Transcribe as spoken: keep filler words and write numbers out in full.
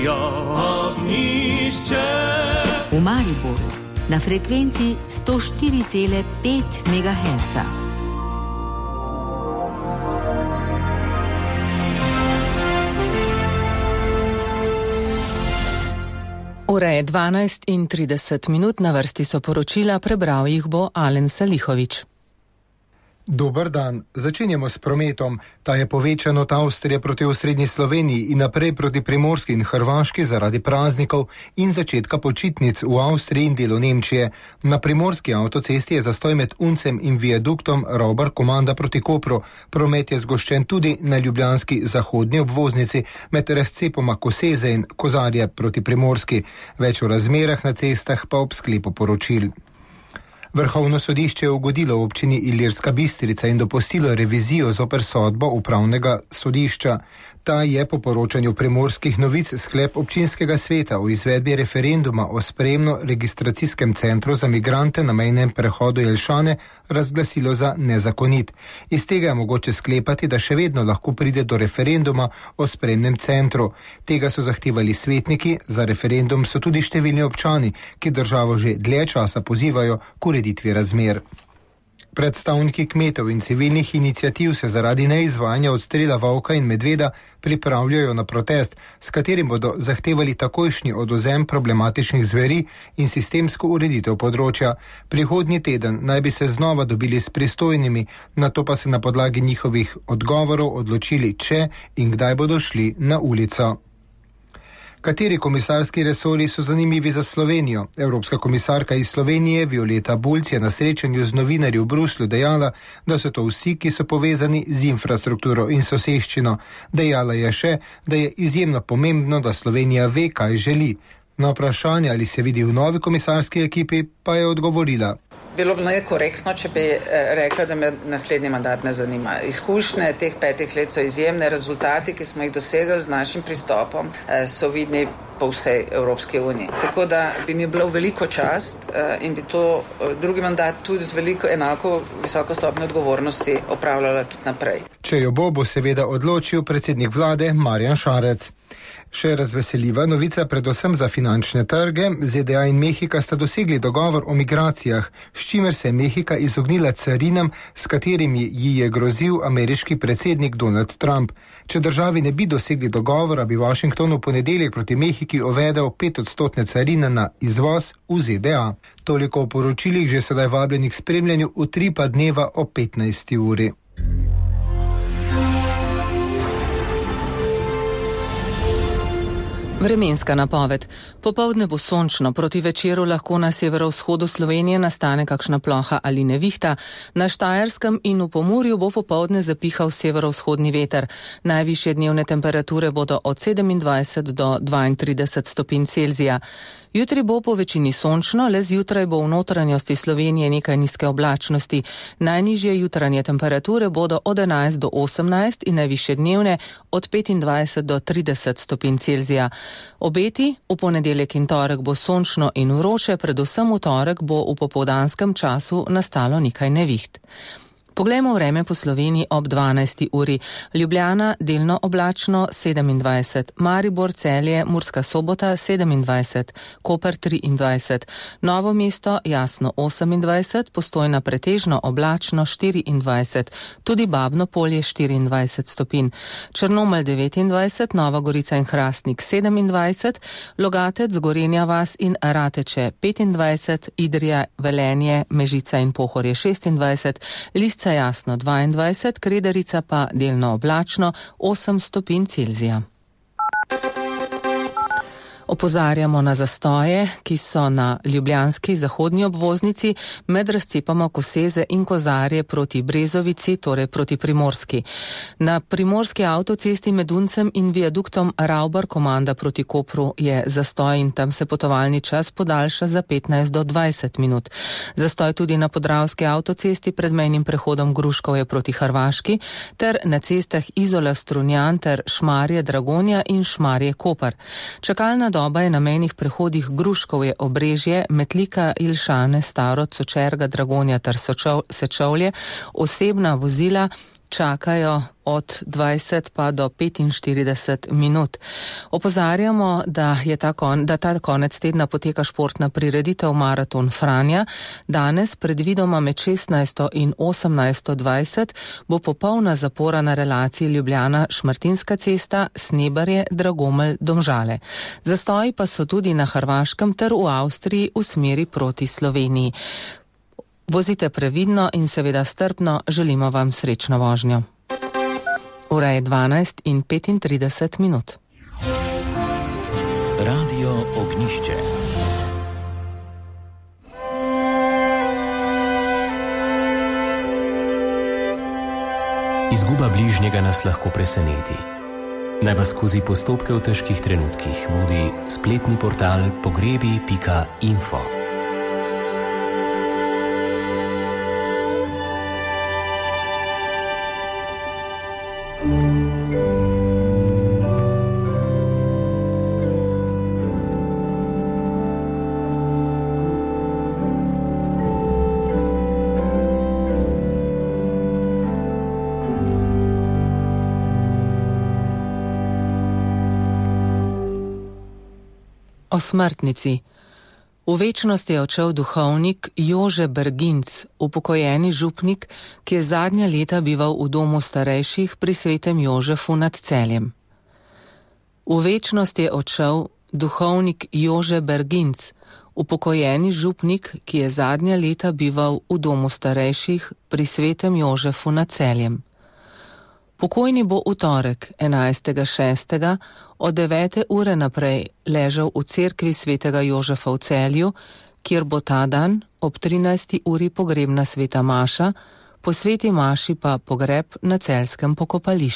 moje ognjišče. V Mariboru na frekvenci sto štiri cela pet megaherca. Ura je dvanajst in trideset minut, na vrsti so poročila, prebral jih bo Alen Salihovič. Dober dan. Začenjamo s prometom. Ta je povečan od Avstrije proti osrednji Sloveniji in naprej proti Primorski in Hrvaški zaradi praznikov in začetka počitnic v Avstriji in delu Nemčije. Na primorski avtocesti je zastoj med Uncem in viaduktom Raubar-Komanda proti Kopru. Promet je zgoščen tudi na ljubljanski zahodni obvoznici med razcepoma Koseze in Kozarje proti Primorski. Več o razmerah na cestah pa ob sklepu poročil. Vrhovno sodišče je ugodilo občini Ilirska Bistrica in dopustilo revizijo zoper sodbo upravnega sodišča. Ta je po poročanju Primorskih novic sklep občinskega sveta o izvedbi referenduma o sprejemno-registracijskem centru za migrante na mejnem prehodu Jelšane razglasilo za nezakonit. Iz tega je mogoče sklepati, da še vedno lahko pride do referenduma o sprejemnem centru. Tega so zahtevali svetniki, za referendum so tudi številni občani, ki državo že dlje časa pozivajo k ureditvi razmer. Predstavniki kmetov in civilnih iniciativ se zaradi neizvajanja odstrela volka in medveda pripravljajo na protest, s katerim bodo zahtevali takojšnji odvzem problematičnih zveri in sistemsko ureditev področja. Prihodnji teden naj bi se znova dobili s pristojnimi, nato pa se na podlagi njihovih odgovorov odločili, če in kdaj bodo šli na ulico. Kateri komisarski resori so zanimivi za Slovenijo? Evropska komisarka iz Slovenije Violeta Bulc je na srečanju z novinarji v Bruslju dejala, da so to vsi, ki so povezani z infrastrukturo in soseščino. Dejala je še, da je izjemno pomembno, da Slovenija ve, kaj želi. Na vprašanje, ali se vidi v novi komisarski ekipi, pa je odgovorila: Bilo bi nekorektno, če bi rekla, da me naslednji mandat ne zanima. Izkušnje teh petih let so izjemne, rezultati, ki smo jih dosegli z našim pristopom, so vidni po vsej Evropski uniji. Tako da bi mi bilo veliko čast in bi to drugi mandat tudi z veliko enako visoko stopnjo odgovornosti opravljala tudi naprej. Če jo bo, bo seveda odločil predsednik vlade Marjan Šarec. Še razveseljiva novica predvsem za finančne trge. Z D A in Mehika sta dosegli dogovor o migracijah, s čimer se je Mehika izognila carinam, s katerimi ji je grozil ameriški predsednik Donald Trump. Če državi ne bi dosegli dogovora, bi Washington v ponedeljek proti Mehiki uvedel petodstotne carine na izvoz v Z D A. Toliko o poročilih, že sedaj vabljenih k spremljanju Utripa dneva o petnajsti uri. Vremenska napoved. Popoldne bo sončno, proti večeru lahko na severovzhodu Slovenije nastane kakšna ploha ali nevihta. Na Štajerskem in v Pomurju bo popoldne zapihal severovzhodni veter. Najvišje dnevne temperature bodo od sedemindvajset do dvaintrideset stopinj Celzija. Jutri bo po večini sončno, le zjutraj bo v notranjosti Slovenije nekaj nizke oblačnosti. Najnižje jutranje temperature bodo od enajst do osemnajst in najvišje dnevne od petindvajset do trideset stopinj Celzija. Obeti: v ponedeljek in torek bo sončno in vroče, predvsem v torek bo v popoldanskem času nastalo nekaj neviht. Poglejmo vreme po Sloveniji ob dvanajsti uri. Ljubljana delno oblačno sedemindvajset, Maribor, Celje, Murska Sobota sedemindvajset, Koper triindvajset, Novo mesto jasno osemindvajset, Postojna pretežno oblačno štiriindvajset, tudi Babno Polje štiriindvajset stopinj, Črnomelj devetindvajset, Nova Gorica in Hrastnik sedemindvajset, Logatec, Gorenja vas in Rateče petindvajset, Idrija, Velenje, Mežica in Pohorje šestindvajset, Lisca jasno dvaindvajset, Kredarica pa delno oblačno osem stopinj Celzija. Opozarjamo na zastoje, ki so na ljubljanski zahodni obvoznici med razcepama Koseze in Kozarje proti Brezovici, torej proti Primorski. Na primorski avtocesti med Uncem in viaduktom Raubar-Komanda proti Kopru je zastoj in tam se potovalni čas podaljša za petnajst do dvajset minut. Zastoj tudi na podravski avtocesti pred mejnim prehodom Gruškovje proti Hrvaški ter na cestah Izola-Strunjan ter Šmarje-Dragonja in Šmarje-Koper. Čakalna doba je na mejnih prehodih Gruškovje, Obrežje, Metlika, Ilšane, Staro, Sočerga, Dragonja ter Sečovlje, osebna vozila čakajo od dvajset pa do petinštirideset minut. Opozarjamo, da, je ta, kon, da ta konec tedna poteka športna prireditev Maraton Franja. Danes, predvidoma med šestnajsto in osemnajsto dvajset, bo popolna zapora na relaciji Ljubljana-Šmartinska cesta, Snebarje-Dragomelj-Domžale. Zastoji pa so tudi na Hrvaškem ter v Avstriji v smeri proti Sloveniji. Vozite previdno in seveda strpno, želimo vam srečno vožnjo. Ura je dvanajst in petintrideset minut. Radio Ognjišče. Izguba bližnjega nas lahko preseneti. Naj vas skozi postopke v težkih trenutkih vodi spletni portal pogrebi pika info. O smrtnici. V večnost je odšel duhovnik Jože Berginc, upokojeni župnik, ki je zadnja leta bival v domu starejših pri svetem Jožefu nad Celjem. V večnost je odšel duhovnik Jože Berginc, upokojeni župnik, ki je zadnja leta bival v domu starejših pri svetem Jožefu nad Celjem. Pokojni bo v torek, enajstega šestega, od devete ure naprej ležal v cerkvi svetega Jožefa v Celju, kjer bo ta dan ob trinajsti uri pogrebna sveta maša, po sveti maši pa pogreb na celjskem pokopališču.